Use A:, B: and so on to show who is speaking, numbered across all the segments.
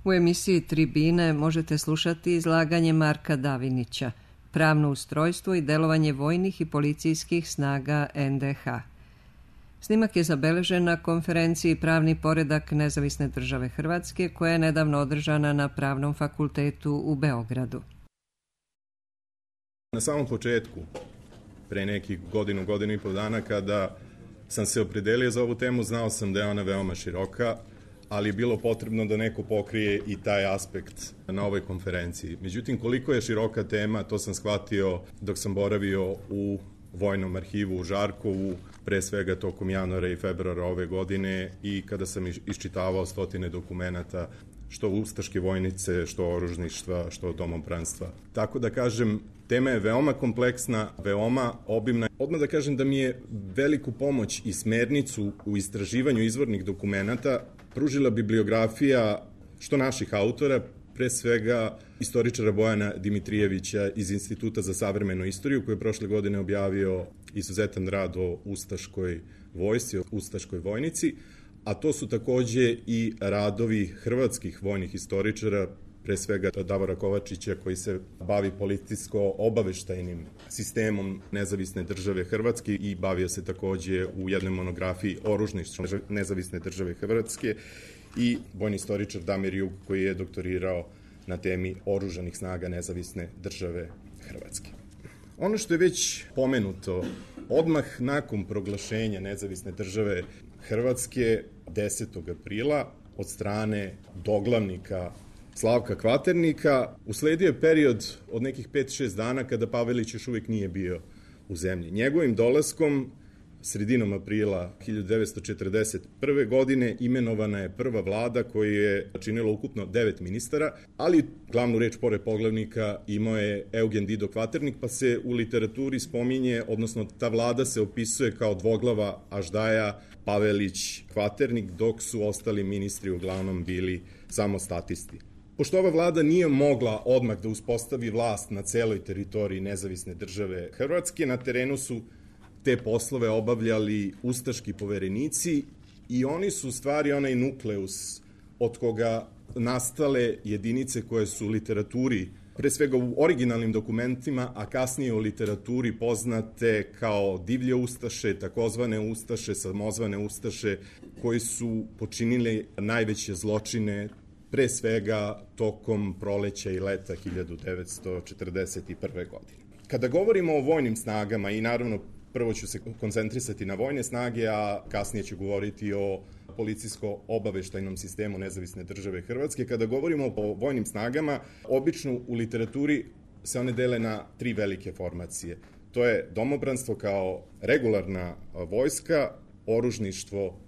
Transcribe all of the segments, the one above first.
A: U emisiji Tribine možete slušati izlaganje Marka Davinića, pravno ustrojstvo i delovanje vojnih i policijskih snaga NDH. Snimak je zabeležen na konferenciji Pravni poredak Nezavisne države Hrvatske, koja je nedavno održana na Pravnom fakultetu u Beogradu.
B: Na samom početku, pre nekih godinu i pol dana, kada sam se opredelio za ovu temu, znao sam da je ona veoma široka, ali je bilo potrebno da neko pokrije i taj aspekt na ovoj konferenciji. Međutim, koliko je široka tema, to sam shvatio dok sam boravio u Vojnom arhivu u Žarkovu, pre svega tokom januara i februara ove godine, i kada sam iščitavao stotine dokumenata, što ustaške vojnice, što oružništva, što domobranstva. Tako da kažem, tema je veoma kompleksna, veoma obimna. Odmah da kažem da mi je veliku pomoć i smernicu u istraživanju izvornih dokumenata pružila bibliografija što naših autora, pre svega istoričara Bojana Dimitrijevića iz Instituta za savremenu istoriju, koji je prošle godine objavio izuzetan rad o ustaškoj vojsci, o ustaškoj vojnici, a to su takođe i radovi hrvatskih vojnih istoričara, pre svega Davora Kovačića, koji se bavi policijsko-obaveštajnim sistemom Nezavisne države Hrvatske i bavio se takođe u jednoj monografiji oružništvu Nezavisne države Hrvatske, i vojni istoričar Damir Jug, koji je doktorirao na temi oružanih snaga Nezavisne države Hrvatske. Ono što je već pomenuto, odmah nakon proglašenja Nezavisne države Hrvatske 10. aprila od strane doglavnika Slavka Kvaternika usledio je period od nekih 5-6 dana kada Pavelić još uvijek nije bio u zemlji. Njegovim dolaskom sredinom aprila 1941. godine imenovana je prva vlada koja je činila ukupno 9 ministara, ali glavnu reč pored poglavnika imao je Eugen Dido Kvaternik, pa se u literaturi spominje, odnosno ta vlada se opisuje kao dvoglava Aždaja, Pavelić, Kvaternik, dok su ostali ministri uglavnom bili samo statisti. Pošto ova vlada nije mogla odmah da uspostavi vlast na celoj teritoriji Nezavisne države Hrvatske, na terenu su te poslove obavljali ustaški poverenici i oni su u stvari onaj nukleus od koga nastale jedinice koje su u literaturi, pre svega u originalnim dokumentima, a kasnije u literaturi poznate kao divlje ustaše, takozvane ustaše, samozvane ustaše, koji su počinili najveće zločine pre svega tokom proleća i leta 1941. godine. Kada govorimo o vojnim snagama, i naravno prvo ću se koncentrisati na vojne snage, a kasnije ću govoriti o policijsko-obaveštajnom sistemu Nezavisne države Hrvatske. Kada govorimo o vojnim snagama, obično u literaturi se one dele na 3 velike formacije. To je domobranstvo kao regularna vojska, oružništvo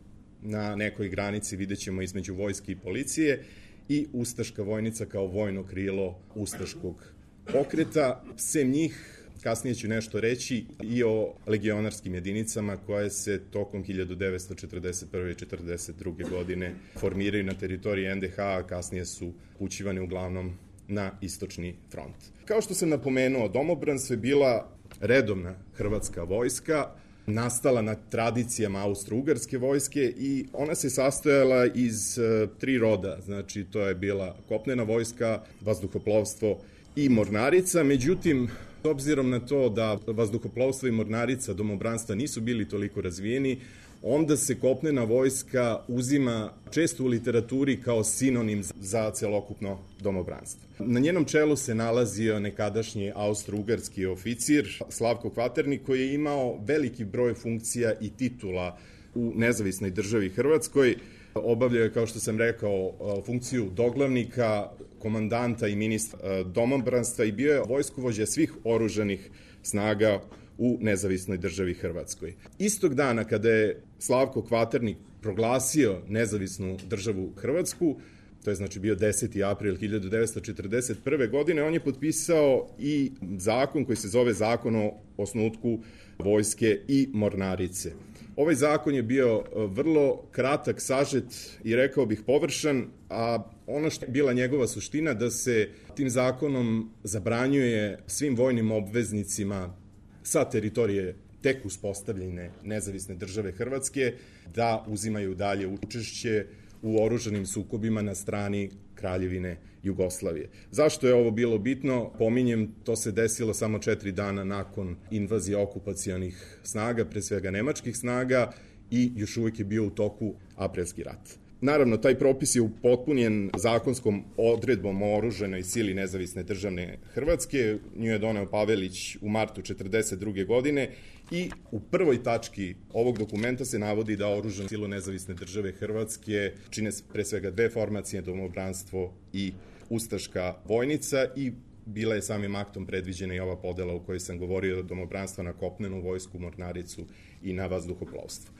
B: na nekoj granici, vidjet ćemo, između vojske i policije, i ustaška vojnica kao vojno krilo ustaškog pokreta. Sem njih, kasnije ću nešto reći i o legionarskim jedinicama koje se tokom 1941. i 1942. godine formiraju na teritoriji NDH, a kasnije su upućivane uglavnom na istočni front. Kao što sam napomenuo, domobranstvo je bila redovna hrvatska vojska, nastala na tradicijama austro-ugarske vojske, i ona se sastojala iz 3 roda, znači to je bila kopnena vojska, vazduhoplovstvo i mornarica. Međutim, s obzirom na to da vazduhoplovstvo i mornarica domobranstva nisu bili toliko razvijeni, onda se kopnena vojska uzima često u literaturi kao sinonim za celokupno domobranstvo. Na njenom čelu se nalazio nekadašnji austro-ugarski oficir Slavko Kvaternik, koji je imao veliki broj funkcija i titula u Nezavisnoj državi Hrvatskoj. Obavljao je, kao što sam rekao, funkciju doglavnika, komandanta i ministra domobranstva i bio je vojskovođa svih oružanih snaga u Nezavisnoj državi Hrvatskoj. Istog dana kada je Slavko Kvaternik proglasio Nezavisnu državu Hrvatsku, to je znači bio 10. april 1941. godine, on je potpisao i zakon koji se zove Zakon o osnutku vojske i mornarice. Ovaj zakon je bio vrlo kratak, sažet i rekao bih površan, a ono što je bila njegova suština da se tim zakonom zabranjuje svim vojnim obveznicima sa teritorije tek uspostavljene Nezavisne države Hrvatske da uzimaju dalje učešće u oružanim sukobima na strani Kraljevine Jugoslavije. Zašto je ovo bilo bitno? Pominjem, to se desilo samo 4 dana nakon invazije okupacionih snaga, pre svega nemačkih snaga, i još uvijek je bio u toku aprilski rat. Naravno, taj propis je upotpunjen zakonskom odredbom o oružanoj sili Nezavisne državne Hrvatske. Nju je doneo Pavelić u martu 1942. godine i u prvoj tački ovog dokumenta se navodi da oružanu silu Nezavisne države Hrvatske čine pre svega 2 formacije, domobranstvo i ustaška vojnica, i bila je samim aktom predviđena i ova podela u kojoj sam govorio, domobranstva na kopnenu vojsku, mornaricu i na vazduhoplovstvo.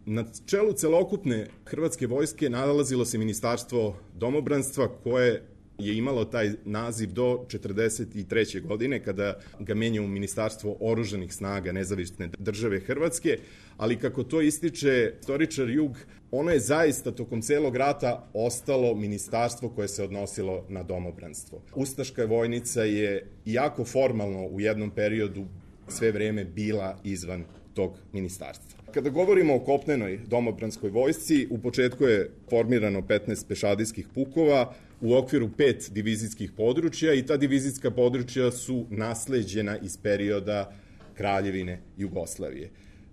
B: Na čelu celokupne hrvatske vojske nalazilo se Ministarstvo domobranstva, koje je imalo taj naziv do 1943. godine, kada ga menja u Ministarstvo oružanih snaga Nezavisne države Hrvatske, ali kako to ističe istoričar Jug, ono je zaista tokom celog rata ostalo ministarstvo koje se odnosilo na domobranstvo. Ustaška vojnica je, iako formalno u jednom periodu, sve vreme bila izvan tog ministarstva. Kada govorimo o kopnenoj domobranskoj vojsci, u početku je formirano 15 pešadijskih pukova u okviru 5 divizijskih područja, i ta divizijska područja su nasleđena iz perioda Kraljevine Jugoslavije.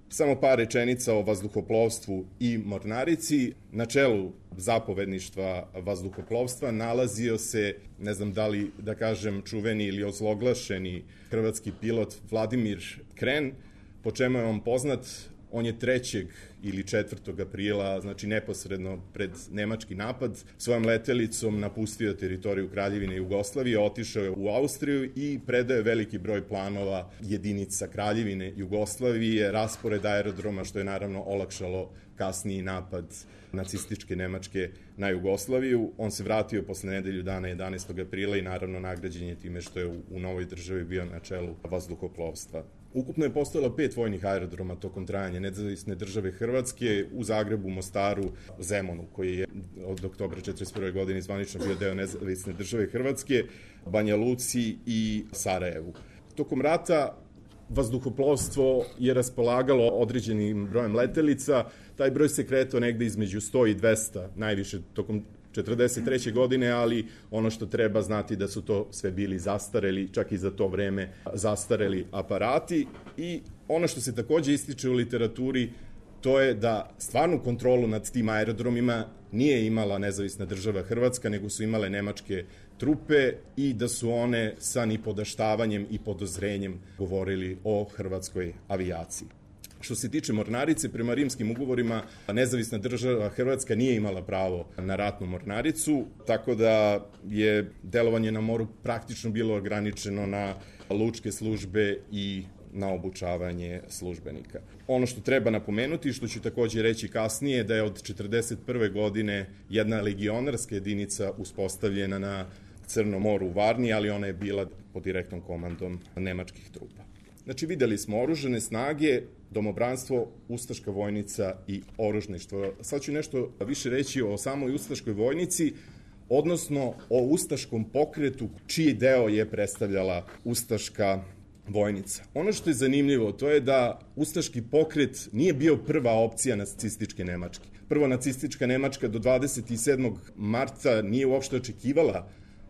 B: Samo par rečenica o vazduhoplovstvu i mornarici. Na čelu zapovedništva vazduhoplovstva nalazio se, ne znam da li da kažem čuveni ili ozloglašeni hrvatski pilot Vladimir Kren, po čemu je on poznat. On je 3. ili 4. aprila, znači neposredno pred nemački napad, svojom letelicom napustio teritoriju Kraljevine Jugoslavije, otišao je u Austriju i predao je veliki broj planova jedinica Kraljevine Jugoslavije, raspored aerodroma, što je naravno olakšalo kasniji napad nacističke Nemačke na Jugoslaviju. On se vratio posle nedelju dana 11. aprila i naravno nagrađen je time što je u novoj državi bio na čelu vazduhoplovstva. Ukupno je postojalo 5 vojnih aerodroma tokom trajanja Nezavisne države Hrvatske, u Zagrebu, Mostaru, Zemunu, koji je od oktobra 1941. godine zvanično bio deo Nezavisne države Hrvatske, Banja Luci i Sarajevu. Tokom rata vazduhoplovstvo je raspolagalo određenim brojem letelica. Taj broj se kretao negde između 100 i 200, najviše tokom 1943. godine, ali ono što treba znati da su to sve bili zastareli, čak i za to vreme zastareli aparati. I ono što se takođe ističe u literaturi, to je da stvarnu kontrolu nad tim aerodromima nije imala Nezavisna država Hrvatska, nego su imale nemačke trupe, i da su one sa nipodaštavanjem i podozrenjem govorili o hrvatskoj avijaciji. Što se tiče mornarice, prema rimskim ugovorima Nezavisna država Hrvatska nije imala pravo na ratnu mornaricu, tako da je delovanje na moru praktično bilo ograničeno na lučke službe i na obučavanje službenika. Ono što treba napomenuti, što ću takođe reći kasnije, da je od 1941. godine jedna legionarska jedinica uspostavljena na Crnom moru u Varni, ali ona je bila pod direktnom komandom nemačkih trupa. Znači, videli smo oružane snage, domobranstvo, ustaška vojnica i oružništvo. Sad ću nešto više reći o samoj ustaškoj vojnici, odnosno o ustaškom pokretu, čiji deo je predstavljala ustaška vojnica. Ono što je zanimljivo, to je da ustaški pokret nije bio prva opcija nacističke Nemačke. Prvo, nacistička Nemačka do 27. marta nije uopšte očekivala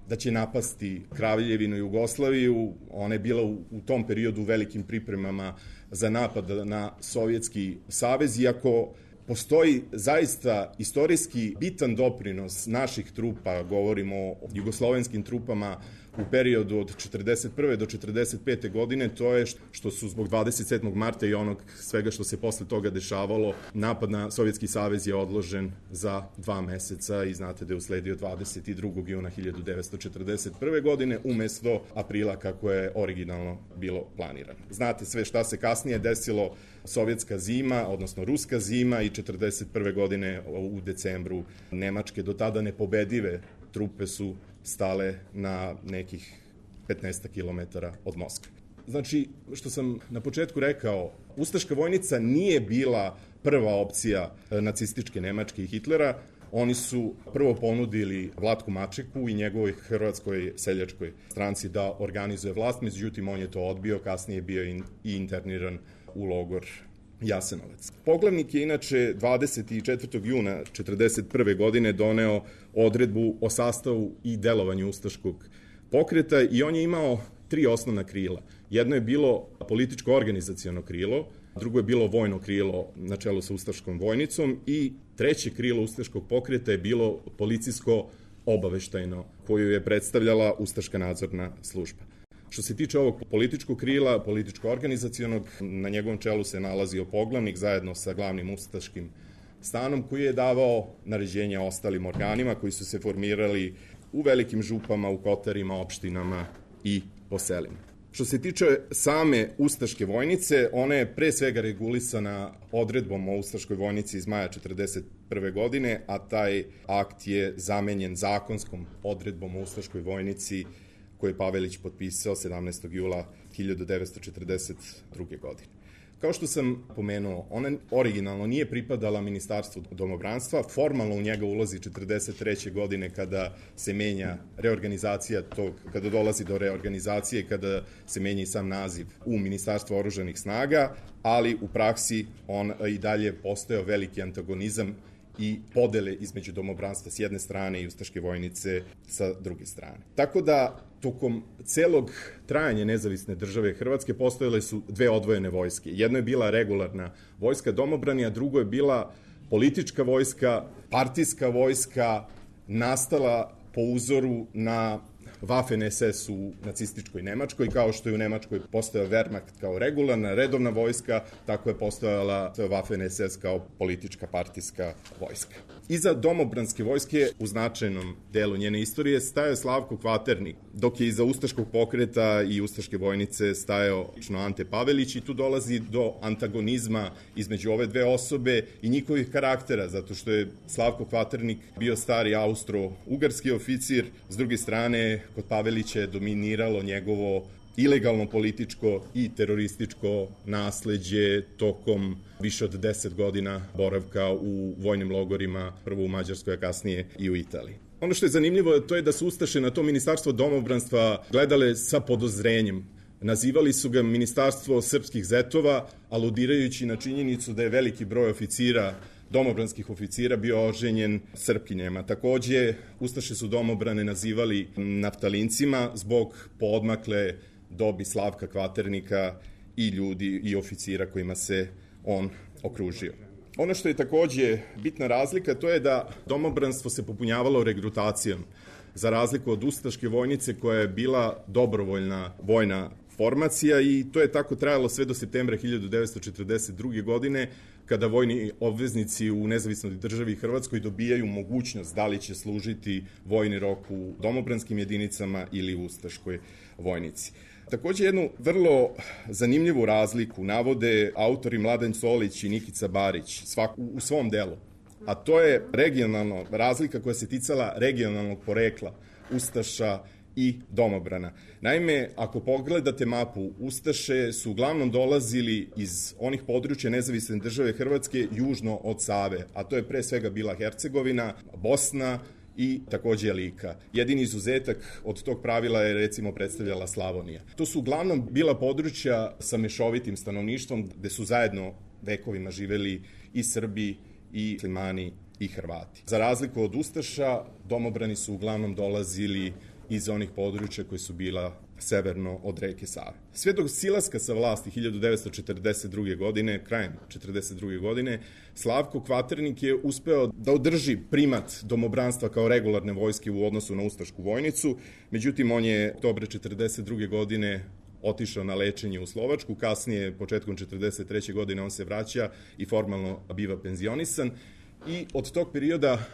B: da će napasti Kraljevinu Jugoslaviju. Ona je bila u tom periodu u velikim pripremama za napad na Sovjetski savez, iako postoji zaista istorijski bitan doprinos naših trupa, govorimo o jugoslovenskim trupama u periodu od 1941. do 1945. godine, to je što su zbog 27. marta i onog svega što se posle toga dešavalo, napad na Sovjetski savez je odložen za 2 meseca i znate da je usledio 22. juna 1941. godine umesto aprila kako je originalno bilo planirano. Znate sve šta se kasnije desilo, sovjetska zima, odnosno ruska zima, i 1941. godine u decembru nemačke do tada nepobedive trupe su stale na nekih 15 kilometara od Moskve. Znači, što sam na početku rekao, ustaška vojnica nije bila prva opcija nacističke Nemačke i Hitlera. Oni su prvo ponudili Vlatku Mačeku i njegovoj Hrvatskoj seljačkoj stranci da organizuje vlast, međutim on je to odbio, kasnije je bio i interniran u logor Jasenovac. Poglavnik je inače 24. juna 1941. godine doneo odredbu o sastavu i delovanju ustaškog pokreta i on je imao 3 osnovna krila. Jedno je bilo političko-organizaciono krilo, drugo je bilo vojno krilo na čelu sa ustaškom vojnicom i treće krilo ustaškog pokreta je bilo policijsko-obaveštajno, koju je predstavljala ustaška nadzorna služba. Što se tiče ovog političkog krila, političko-organizacionog, na njegovom čelu se nalazio poglavnik zajedno sa glavnim ustaškim stanom koji je davao naređenja ostalim organima koji su se formirali u velikim župama, u kotarima, opštinama i po selima. Što se tiče same ustaške vojnice, ona je pre svega regulisana odredbom o ustaškoj vojnici iz maja 1941. godine, a taj akt je zamenjen zakonskom odredbom o ustaškoj vojnici koju je Pavelić potpisao 17. jula 1942. godine. Kao što sam pomenuo, ona originalno nije pripadala Ministarstvu domobranstva, formalno u njega ulazi 1943. godine kada se menja reorganizacija tog, kada dolazi do reorganizacije, kada se menja i sam naziv u Ministarstvo oružanih snaga, ali u praksi on i dalje postojao veliki antagonizam i podele između domobranstva s jedne strane i ustaške vojnice sa druge strane. Tako da, tokom celog trajanja nezavisne države Hrvatske postojale su 2 odvojene vojske. Jedno je bila regularna vojska domobrani, a drugo je bila politička vojska, partijska vojska, nastala po uzoru na Waffen SS u nacističkoj Nemačkoj, kao što je u Nemačkoj postojao Wehrmacht kao regularna, redovna vojska, tako je postojala Waffen SS kao politička partijska vojska. Iza domobranske vojske u značajnom delu njene istorije stajao Slavko Kvaternik, dok je iza ustaškog pokreta i ustaške vojnice stajao Ante Pavelić i tu dolazi do antagonizma između ove 2 osobe i njihovih karaktera, zato što je Slavko Kvaternik bio stari austro-ugarski oficir, s druge strane kod Pavelića je dominiralo njegovo ilegalno političko i terorističko nasleđe tokom više od 10 godina boravka u vojnim logorima, prvo u Mađarskoj, a kasnije i u Italiji. Ono što je zanimljivo to je da su ustaše na to ministarstvo domobranstva gledale sa podozrenjem. Nazivali su ga Ministarstvo srpskih zetova, aludirajući na činjenicu da je veliki broj oficira, domobranskih oficira, bio oženjen Srpkinjama. Takođe, ustaše su domobrane nazivali naftalincima zbog poodmakle dobi Slavka Kvaternika i ljudi i oficira kojima se on okružio. Ono što je takođe bitna razlika, to je da domobranstvo se popunjavalo regrutacijom, za razliku od ustaške vojnice koja je bila dobrovoljna vojna formacija i to je tako trajalo sve do septembra 1942. godine, kada vojni obveznici u nezavisnoj državi Hrvatskoj dobijaju mogućnost da li će služiti vojni rok u domobranskim jedinicama ili u ustaškoj vojnici. Takođe, jednu vrlo zanimljivu razliku navode autori Mladen Solić i Nikica Barić u svom delu, a to je regionalna razlika koja se ticala regionalnog porekla ustaša i domobrana. Naime, ako pogledate mapu, ustaše su uglavnom dolazili iz onih područja nezavisne države Hrvatske južno od Save, a to je pre svega bila Hercegovina, Bosna i takođe Lika. Jedini izuzetak od tog pravila je recimo predstavljala Slavonija. To su uglavnom bila područja sa mešovitim stanovništvom gde su zajedno vekovima živeli i Srbi i Muslimani i Hrvati. Za razliku od ustaša, domobrani su uglavnom dolazili iz onih područja koji su bila severno od reke Save. Sve do silaska sa vlasti 1942. godine, krajem 1942. godine, Slavko Kvaternik je uspeo da održi primat domobranstva kao regularne vojske u odnosu na ustašku vojnicu, međutim on je oktobra 1942. godine otišao na lečenje u Slovačku, kasnije, početkom 1943. godine, on se vraća i formalno biva penzionisan i od tog perioda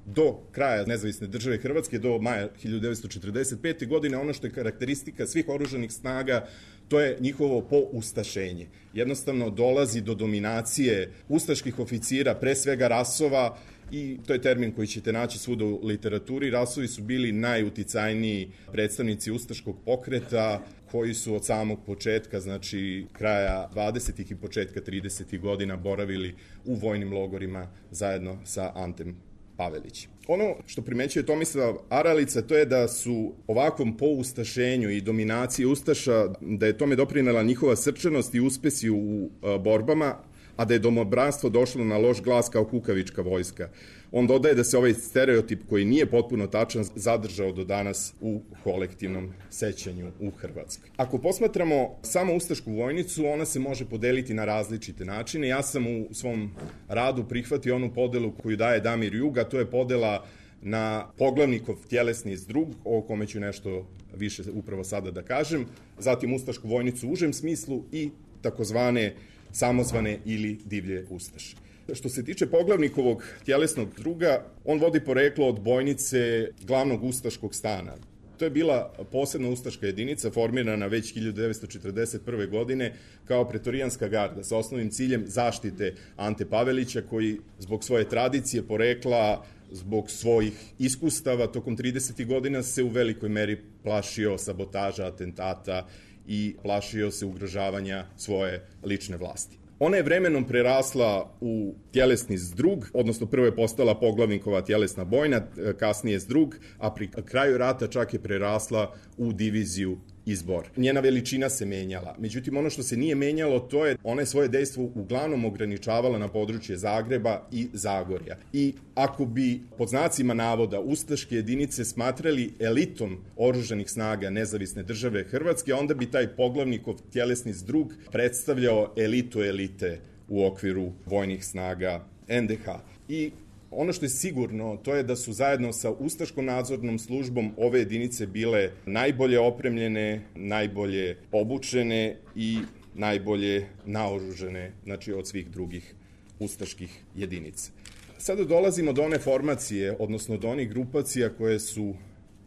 B: do kraja nezavisne države Hrvatske, do maja 1945. godine, ono što je karakteristika svih oružanih snaga, to je njihovo poustašenje. Jednostavno dolazi do dominacije ustaških oficira, pre svega rasova, i to je termin koji ćete naći svuda u literaturi. Rasovi su bili najuticajniji predstavnici ustaškog pokreta, koji su od samog početka, znači kraja 20. i početka 30. godina boravili u vojnim logorima zajedno sa Antem Pavelić. Ono što primećuje Tomislav Aralica, to je da su ovakvom poustašenju i dominaciji ustaša, da je tome doprinela njihova srčanost i uspesi u borbama, a da je domobranstvo došlo na loš glas kao kukavička vojska. On dodaje da se ovaj stereotip, koji nije potpuno tačan, zadržao do danas u kolektivnom sećanju u Hrvatskoj. Ako posmatramo samo ustašku vojnicu, ona se može podeliti na različite načine. Ja sam u svom radu prihvatio onu podelu koju daje Damir Jug, a to je podela na poglavnikov tjelesni zdrug, o kome ću nešto više upravo sada da kažem, zatim ustašku vojnicu u užem smislu i takozvane samozvane ili divlje ustaše. Što se tiče poglavnikovog tjelesnog zdruga, on vodi poreklo od bojnice glavnog ustaškog stana. To je bila posebna ustaška jedinica formirana već 1941. godine kao pretorijanska garda sa osnovnim ciljem zaštite Ante Pavelića, koji zbog svoje tradicije, porekla, zbog svojih iskustava tokom 30. godina se u velikoj meri plašio sabotaža, atentata i plašio se ugrožavanja svoje lične vlasti. Ona je vremenom prerasla u tjelesni zdrug, odnosno prvo je postala poglavnikova tjelesna bojna, kasnije zdrug, a pri kraju rata čak je prerasla u diviziju i zbor. Njena veličina se menjala. Međutim, ono što se nije menjalo, to je ona je svoje dejstvo uglavnom ograničavala na područje Zagreba i Zagorja. I ako bi, pod znacima navoda, ustaške jedinice smatrali elitom oružanih snaga nezavisne države Hrvatske, onda bi taj poglavnikov tjelesni zdrug predstavljao elitu elite u okviru vojnih snaga NDH. I ono što je sigurno, to je da su zajedno sa ustaškom nadzornom službom ove jedinice bile najbolje opremljene, najbolje obučene i najbolje naoružene, znači od svih drugih ustaških jedinica. Sada dolazimo do one formacije, odnosno do onih grupacija koje su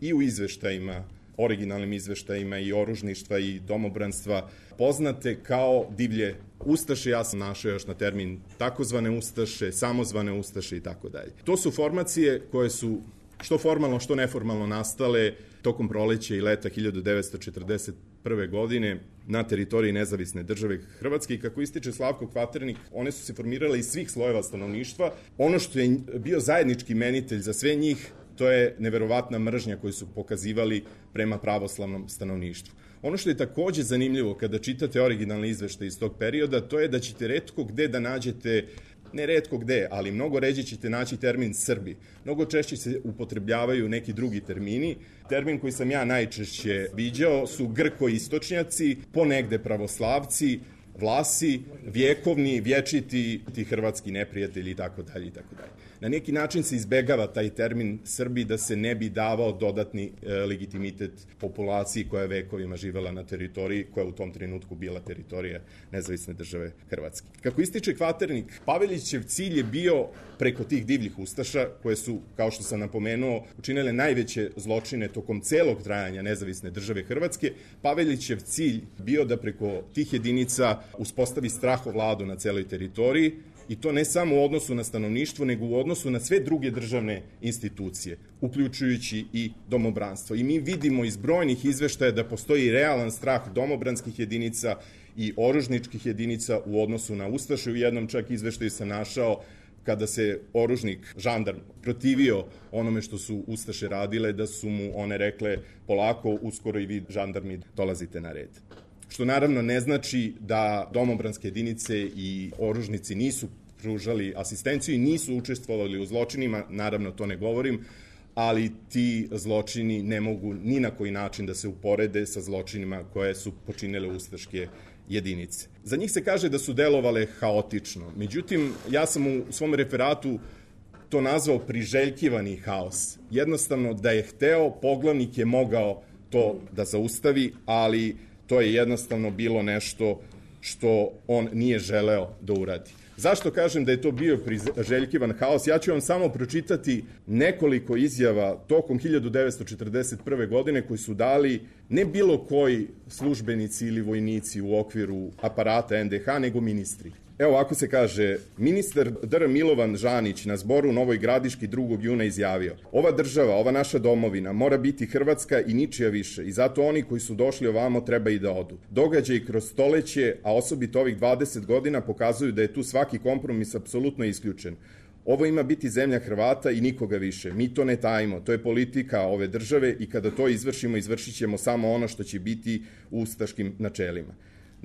B: i u izveštajima, originalnim izveštajima i oružništva i domobranstva poznate kao divlje ustaše. Ja sam našao još na termin takozvane ustaše, samozvane ustaše i tako dalje. To su formacije koje su što formalno, što neformalno nastale tokom proleća i leta 1941. godine na teritoriji nezavisne države Hrvatske i kako ističe Slavko Kvaternik, one su se formirale iz svih slojeva stanovništva. Ono što je bio zajednički imenitelj za sve njih, to je neverovatna mržnja koju su pokazivali prema pravoslavnom stanovništvu. Ono što je takođe zanimljivo kada čitate originalne izveštaje iz tog perioda, to je da ćete retko gde da nađete, ne retko gde, ali mnogo ređe ćete naći termin Srbi. Mnogo češće se upotrebljavaju neki drugi termini. Termin koji sam ja najčešće viđao su Grko-istočnjaci, ponegde pravoslavci, Vlasi, vjekovni, vječiti, ti hrvatski neprijatelji i tako dalje i tako dalje. Na neki način se izbegava taj termin Srbi da se ne bi davao dodatni legitimitet populaciji koja je vekovima živela na teritoriji koja je u tom trenutku bila teritorija nezavisne države Hrvatske. Kako ističe Kvaternik, Pavelićev cilj je bio preko tih divljih ustaša koje su, kao što sam napomenuo, učinile najveće zločine tokom celog trajanja nezavisne države Hrvatske. Pavelićev cilj bio da preko tih jedinica uspostavi strahovladu na celoj teritoriji i to ne samo u odnosu na stanovništvo, nego u odnosu na sve druge državne institucije, uključujući i domobranstvo. I mi vidimo iz brojnih izveštaja da postoji realan strah domobranskih jedinica i oružničkih jedinica u odnosu na ustaše. U jednom čak izveštaju sam našao kada se oružnik, žandarm, protivio onome što su ustaše radile, da su mu one rekle polako, uskoro i vi žandarmi dolazite na red. Što naravno ne znači da domobranske jedinice i oružnici nisu pružali asistenciju i nisu učestvovali u zločinima, naravno to ne govorim, ali ti zločini ne mogu ni na koji način da se uporede sa zločinima koje su počinile ustaške jedinice. Za njih se kaže da su delovale haotično, međutim ja sam u svom referatu to nazvao priželjkivani haos. Jednostavno da je hteo, poglavnik je mogao to da zaustavi, ali to je jednostavno bilo nešto što on nije želeo da uradi. Zašto kažem da je to bio priželjkivan haos? Ja ću vam samo pročitati nekoliko izjava tokom 1941. godine koji su dali ne bilo koji službenici ili vojnici u okviru aparata NDH, nego ministri. Evo ovako se kaže, ministar Dr. Milovan Žanić na zboru u Novoj Gradiški 2. juna izjavio: ova država, ova naša domovina mora biti Hrvatska i ničija više i zato oni koji su došli ovamo treba i da odu. Događaj kroz stoleće, a osobito ovih 20 godina pokazuju da je tu svaki kompromis apsolutno isključen. Ovo ima biti zemlja Hrvata i nikoga više. Mi to ne tajimo, to je politika ove države i kada to izvršimo, izvršit ćemo samo ono što će biti u ustaškim načelima.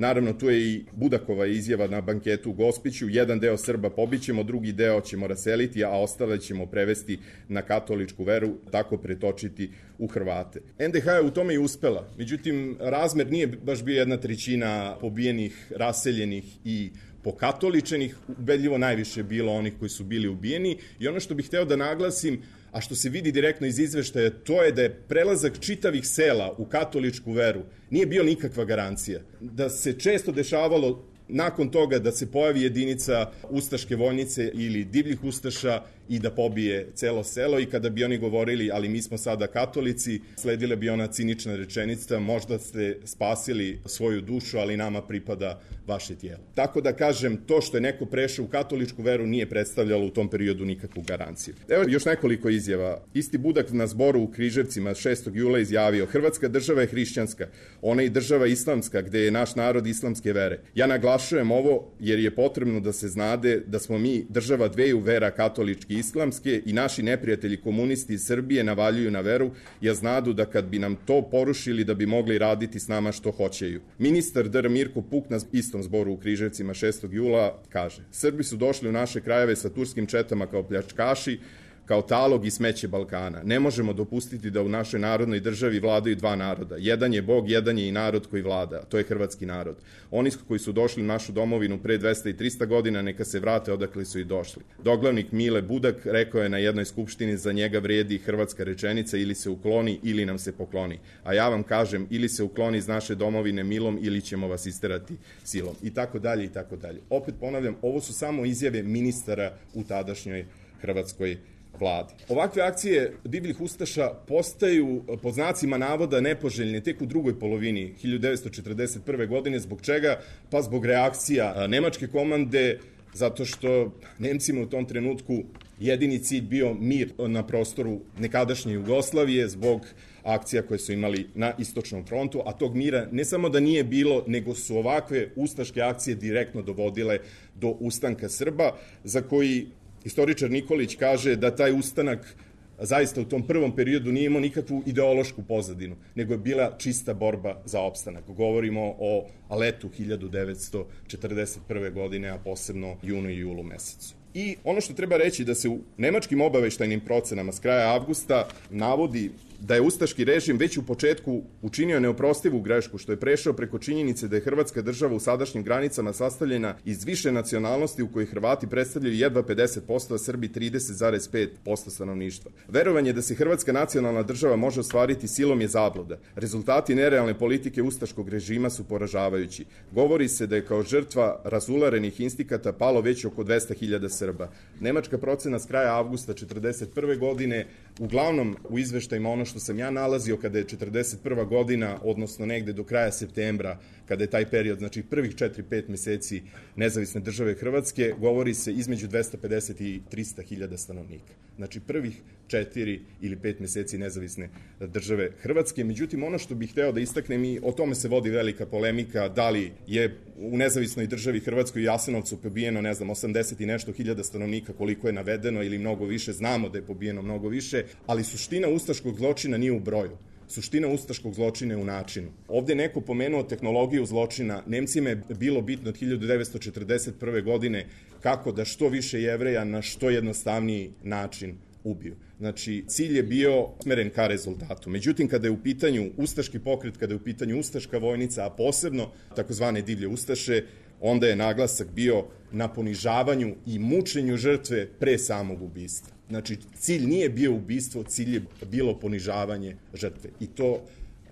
B: Naravno, tu je i Budakova izjava na banketu u Gospiću, jedan deo Srba pobićemo, drugi deo ćemo raseliti, a ostale ćemo prevesti na katoličku veru, tako pretočiti u Hrvate. NDH je u tome i uspela, međutim, razmer nije baš bio 1/3 pobijenih, raseljenih i pokatoličenih, ubedljivo najviše bilo onih koji su bili ubijeni. I ono što bih hteo da naglasim, a što se vidi direktno iz izveštaja, to je da je prelazak čitavih sela u katoličku veru nije bio nikakva garancija. Da se često dešavalo nakon toga da se pojavi jedinica ustaške vojnice ili divljih ustaša i da pobije celo selo, i kada bi oni govorili ali mi smo sada katolici, sledila bi ona cinična rečenica, možda ste spasili svoju dušu, ali nama pripada vaše tijelo. Tako da kažem, to što je neko prešao u katoličku veru nije predstavljalo u tom periodu nikakvu garanciju. Evo još nekoliko izjava. Isti Budak na zboru u Križevcima 6. jula izjavio: Hrvatska država je hrišćanska, ona je država islamska gde je naš narod islamske vere. Ja naglašujem ovo jer je potrebno da se znade da smo mi država dveju vera, katolički i islamske, i naši neprijatelji komunisti iz Srbije navaljuju na veru, jer znadu da kad bi nam to porušili da bi mogli raditi s nama što hoćeju. Ministar dr. Mirko Puk na istom zboru u Križevcima 6. jula kaže: Srbi su došli u naše krajeve sa turskim četama kao pljačkaši, kao talog i smeće Balkana. Ne možemo dopustiti da u našoj narodnoj državi vladaju dva naroda. Jedan je Bog, jedan je i narod koji vlada. To je hrvatski narod. Oni koji su došli u našu domovinu pre 200 i 300 godina, neka se vrate odakle su i došli. Doglavnik Mile Budak rekao je na jednoj skupštini: za njega vredi hrvatska rečenica, ili se ukloni ili nam se pokloni. A ja vam kažem, ili se ukloni iz naše domovine milom ili ćemo vas isterati silom. I tako dalje, i tako dalje. Opet ponavljam, ovo su samo izjave ministara u tadašnjoj hrvatskoj vladi. Ovakve akcije divljih ustaša postaju pod znacima navoda nepoželjne tek u drugoj polovini 1941. godine. Zbog čega? Pa zbog reakcija nemačke komande, zato što Nemcima u tom trenutku jedini cilj bio mir na prostoru nekadašnje Jugoslavije zbog akcija koje su imali na istočnom frontu, a tog mira ne samo da nije bilo, nego su ovakve ustaške akcije direktno dovodile do ustanka Srba, za koji historičar Nikolić kaže da taj ustanak zaista u tom prvom periodu nije imao nikakvu ideološku pozadinu, nego je bila čista borba za opstanak. Govorimo o letu 1941. godine, a posebno junu i julu mesecu. I ono što treba reći da se u nemačkim obaveštajnim procenama s kraja avgusta navodi da je ustaški režim već u početku učinio neoprostivu grešku što je prešao preko činjenice da je Hrvatska država u sadašnjim granicama sastavljena iz više nacionalnosti u kojoj Hrvati predstavljaju jedva 50%, a Srbi 30,5% stanovništva. Verovanje da se Hrvatska nacionalna država može ostvariti silom je zabluda. Rezultati nerealne politike ustaškog režima su poražavajući. Govori se da je kao žrtva razularenih instikata palo već oko 200.000 Srba. Nemačka procena s kraja avgusta 1941. godine, uglavnom u izveštajima ono što sam ja nalazio kada je 1941. godina, odnosno negde do kraja septembra, kada je taj period, znači prvih 4-5 meseci nezavisne države Hrvatske, govori se između 250 i 300.000 stanovnika. Znači prvih 4 ili 5 meseci nezavisne države Hrvatske. Međutim, ono što bih hteo da istaknem, i o tome se vodi velika polemika, da li je u nezavisnoj državi Hrvatskoj i Jasenovcu pobijeno, 80 i nešto hiljada stanovnika, koliko je navedeno, ili mnogo više, znamo da je pobijeno mnogo više, ali suština ustaškog zločina nije u broju. Suština ustaškog zločina je u načinu. Ovde je neko pomenuo tehnologiju zločina. Nemcima je bilo bitno od 1941. godine kako da što više Jevreja na što jednostavniji način ubiju. Znači, cilj je bio smeren ka rezultatu. Međutim, kada je u pitanju ustaški pokret, kada je u pitanju ustaška vojnica, a posebno takozvane divlje ustaše, onda je naglasak bio na ponižavanju i mučenju žrtve pre samog ubistva. Znači, cilj nije bio ubistvo, cilj je bilo ponižavanje žrtve. I to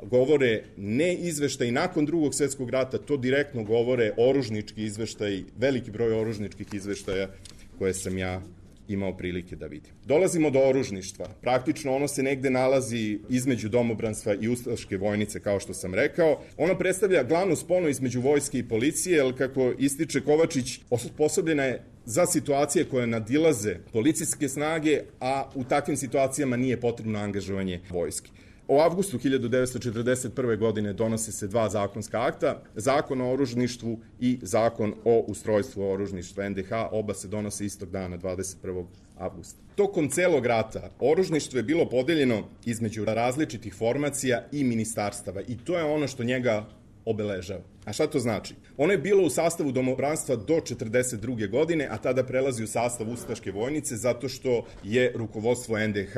B: govore ne izveštaji nakon Drugog svjetskog rata, to direktno govore oružnički izveštaji, veliki broj oružničkih izveštaja koje sam ja imao prilike da vidim. Dolazimo do oružništva. Praktično ono se negde nalazi između domobranstva i ustaške vojnice, kao što sam rekao. Ono predstavlja glavnu sponu između vojske i policije, jer kako ističe Kovačić, osposobljena je za situacije koje nadilaze policijske snage, a u takvim situacijama nije potrebno angažovanje vojske. U avgustu 1941. godine donose se dva zakonska akta, Zakon o oružništvu i Zakon o ustrojstvu oružništva NDH, oba se donose istog dana, 21. avgusta. Tokom celog rata oružništvo je bilo podeljeno između različitih formacija i ministarstava i to je ono što njega obeležava. A šta to znači? Ono je bilo u sastavu domobranstva do 1942. godine, a tada prelazi u sastav ustaške vojnice zato što je rukovodstvo NDH,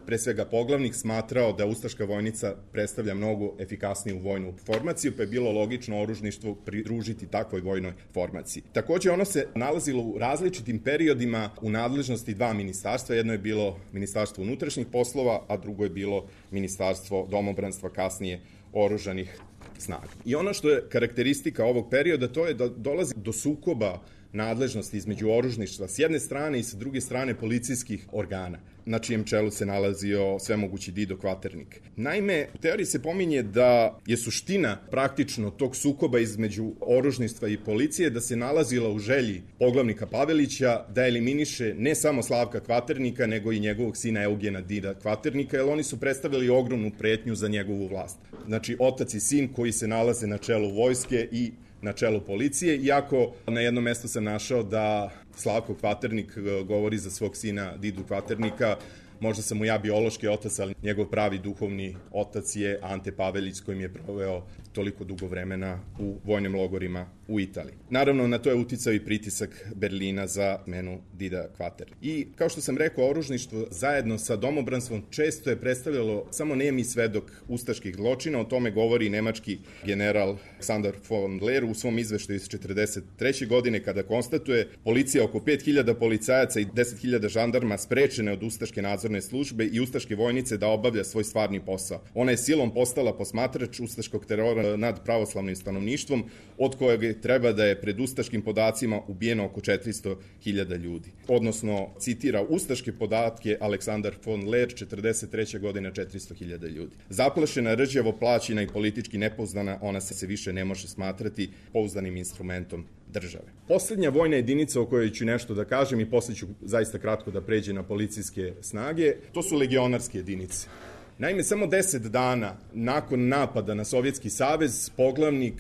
B: pre svega poglavnik, smatrao da ustaška vojnica predstavlja mnogo efikasniju vojnu formaciju, pa je bilo logično oružništvo pridružiti takvoj vojnoj formaciji. Takođe, ono se nalazilo u različitim periodima u nadležnosti dva ministarstva. Jedno je bilo Ministarstvo unutrašnjih poslova, a drugo je bilo Ministarstvo domobranstva, kasnije oružanih snaga. I ono što je karakteristika ovog perioda, to je da dolazi do sukoba nadležnosti između oružništva s jedne strane i sa druge strane policijskih organa, na čijem čelu se nalazio svemogući Dido Kvaternik. Naime, u teoriji se pominje da je suština praktično tog sukoba između oružništva i policije da se nalazila u želji poglavnika Pavelića da eliminiše ne samo Slavka Kvaternika, nego i njegovog sina Eugena Dida Kvaternika, jer oni su predstavljali ogromnu pretnju za njegovu vlast. Znači, otac i sin koji se nalaze na čelu vojske i na čelu policije, iako na jednom mestu sam našao da Slavko Kvaternik govori za svog sina Didu Kvaternika, možda sam mu ja biološki otac, ali njegov pravi duhovni otac je Ante Pavelić, s kojim je proveo toliko dugo vremena u vojnim logorima u Italiji. Naravno, na to je uticao i pritisak Berlina za menu Dida Kvaternika. I, kao što sam rekao, oružništvo zajedno sa domobranstvom često je predstavljalo samo nemi svedok ustaških zločina. O tome govori nemački general Alexander von Leer u svom izveštaju iz 1943. godine, kada konstatuje policija oko 5000 policajaca i 10.000 žandarma sprečene od ustaške nadzorne službe i ustaške vojnice da obavlja svoj stvarni posao. Ona je silom postala posmatrač ustaškog terora nad pravoslavnim stanovništvom, od kojeg treba da je pred ustaškim podacima ubijeno oko 400.000 ljudi. Odnosno, citira ustaške podatke Aleksandar von Leer, 1943. godine 400.000 ljudi. Zaplašena, rđavo plaćena i politički nepouzdana, ona se više ne može smatrati pouzdanim instrumentom države. Poslednja vojna jedinica o kojoj ću nešto da kažem i posle ću zaista kratko da pređe na policijske snage, to su legionarske jedinice. Naime, samo 10 dana nakon napada na Sovjetski savez, poglavnik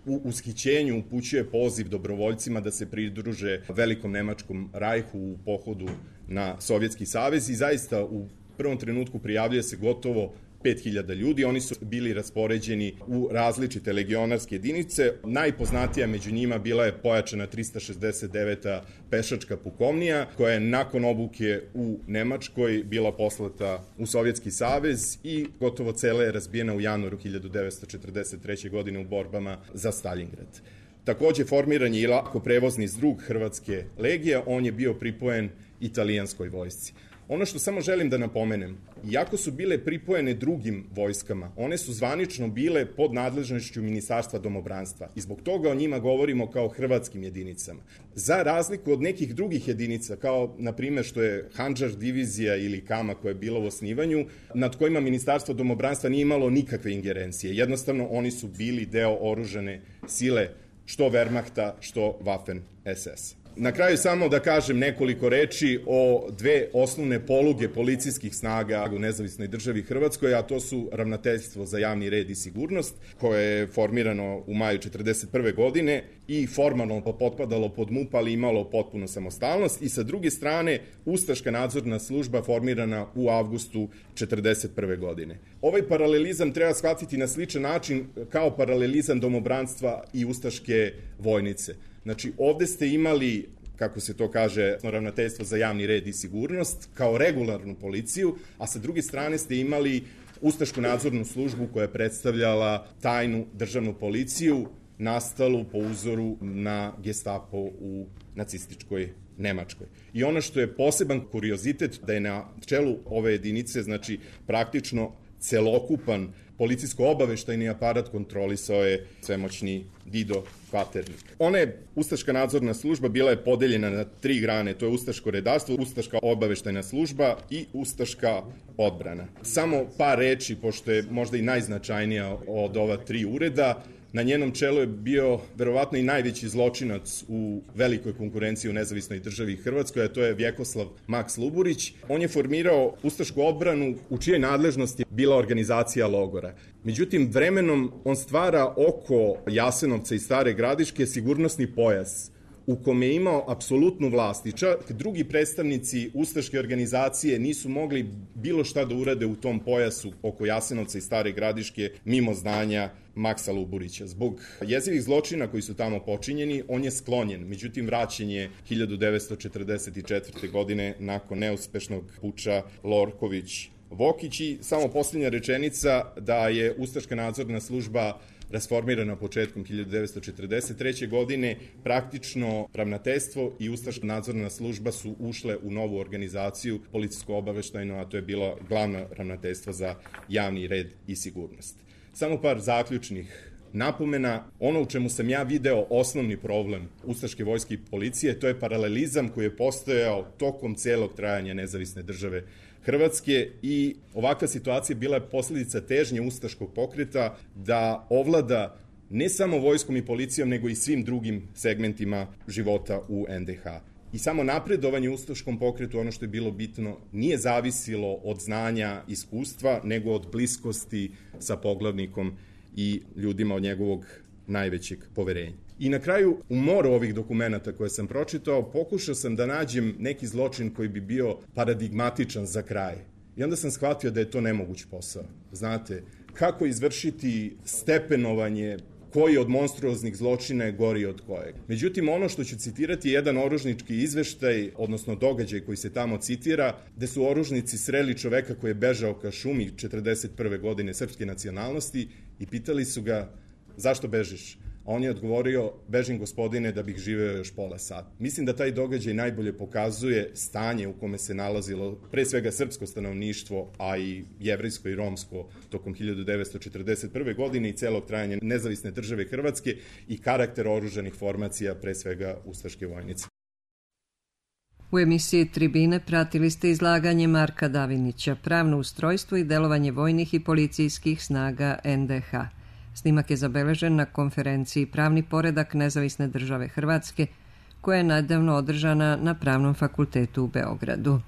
B: u ushićenju upućuje poziv dobrovoljcima da se pridruže velikom nemačkom rajhu u pohodu na Sovjetski savez i zaista u prvom trenutku prijavljuje se gotovo 5.000 ljudi. Oni su bili raspoređeni u različite legionarske jedinice. Najpoznatija među njima bila je pojačana 369. pešačka pukovnija, koja je nakon obuke u Nemačkoj bila poslata u Sovjetski savez i gotovo cela je razbijena u januaru 1943. godine u borbama za Stalingrad. Takođe, formiran je i lako prevozni zdrug Hrvatske legije, on je bio pripojen italijanskoj vojsci. Ono što samo želim da napomenem, iako su bile pripojene drugim vojskama, one su zvanično bile pod nadležnošću Ministarstva domobranstva i zbog toga o njima govorimo kao hrvatskim jedinicama. Za razliku od nekih drugih jedinica, kao na primjer što je Handžar divizija ili Kama koja je bila u osnivanju, nad kojima Ministarstvo domobranstva nije imalo nikakve ingerencije. Jednostavno, oni su bili deo oružane sile što Wehrmachta, što Waffen SS. Na kraju samo da kažem nekoliko reči o dve osnovne poluge policijskih snaga u nezavisnoj državi Hrvatskoj, a to su Ravnateljstvo za javni red i sigurnost, koje je formirano u maju 1941. godine i formalno potpadalo pod MUP, ali imalo potpunu samostalnost, i sa druge strane Ustaška nadzorna služba formirana u avgustu 1941. godine. Ovaj paralelizam treba shvatiti na sličan način kao paralelizam domobranstva i ustaške vojnice. Znači, ovde ste imali, kako se to kaže, Ravnateljstvo za javni red i sigurnost kao regularnu policiju, a sa druge strane ste imali Ustašku nadzornu službu koja je predstavljala tajnu državnu policiju, nastalu po uzoru na Gestapo u nacističkoj Nemačkoj. I ono što je poseban kuriozitet, da je na čelu ove jedinice, znači praktično celokupan policijsko-obaveštajni aparat kontrolisao je svemoćni Dido Kvaternik. Ona je Ustaška nadzorna služba bila je podeljena na 3 grane, to je Ustaško redarstvo, Ustaška obaveštajna služba i Ustaška odbrana. Samo par reči, pošto je možda i najznačajnija od ova 3 ureda. Na njenom čelu je bio verovatno i najveći zločinac u velikoj konkurenciji u nezavisnoj državi Hrvatskoj, a to je Vjekoslav Maks Luburić. On je formirao Ustašku odbranu u čijoj nadležnosti je bila organizacija logora. Međutim, vremenom on stvara oko Jasenovca i Stare Gradiške sigurnosni pojas u kome je imao apsolutnu vlast i čak drugi predstavnici ustaške organizacije nisu mogli bilo šta da urade u tom pojasu oko Jasenovca i Stare Gradiške mimo znanja Maksa Luburića. Zbog jezivih zločina koji su tamo počinjeni, on je sklonjen. Međutim, vraćen je 1944. godine nakon neuspešnog puča Lorković-Vokić. I samo posljednja rečenica da je Ustaška nadzorna služba rasformirana početkom 1943. godine, praktično ravnateljstvo i Ustaška nadzorna služba su ušle u novu organizaciju policijsko-obaveštajno, a to je bilo glavno ravnateljstvo za javni red i sigurnost. Samo par zaključnih napomena. Ono u čemu sam ja video osnovni problem ustaške vojske i policije, to je paralelizam koji je postojao tokom celog trajanja nezavisne države Hrvatske i ovakva situacija bila je posledica težnje ustaškog pokreta da ovlada ne samo vojskom i policijom, nego i svim drugim segmentima života u NDH. I samo napredovanje u ustaškom pokretu, ono što je bilo bitno, nije zavisilo od znanja, iskustva, nego od bliskosti sa poglavnikom i ljudima od njegovog najvećeg poverenja. I na kraju, u moru ovih dokumenata koje sam pročitao, pokušao sam da nađem neki zločin koji bi bio paradigmatičan za kraj. I onda sam shvatio da je to nemoguć posao. Znate, kako izvršiti stepenovanje koji od monstruoznih zločina je gori od kojeg. Međutim, ono što ću citirati je jedan oružnički izveštaj, odnosno događaj koji se tamo citira, gde su oružnici sreli čoveka koji je bežao ka šumi 1941. godine srpske nacionalnosti i pitali su ga zašto bežiš? A on je odgovorio, bežim gospodine da bih živeo još pola sata. Mislim da taj događaj najbolje pokazuje stanje u kome se nalazilo pre svega srpsko stanovništvo, a i jevrejsko i romsko tokom 1941. godine i celog trajanja nezavisne države Hrvatske i karakter oružanih formacija, pre svega ustaške vojnice.
A: U emisiji Tribine pratili ste izlaganje Marka Davinića, pravno ustrojstvo i delovanje vojnih i policijskih snaga NDH. Snimak je zabeležen na konferenciji Pravni poredak nezavisne države Hrvatske, koja je nedavno održana na Pravnom fakultetu u Beogradu.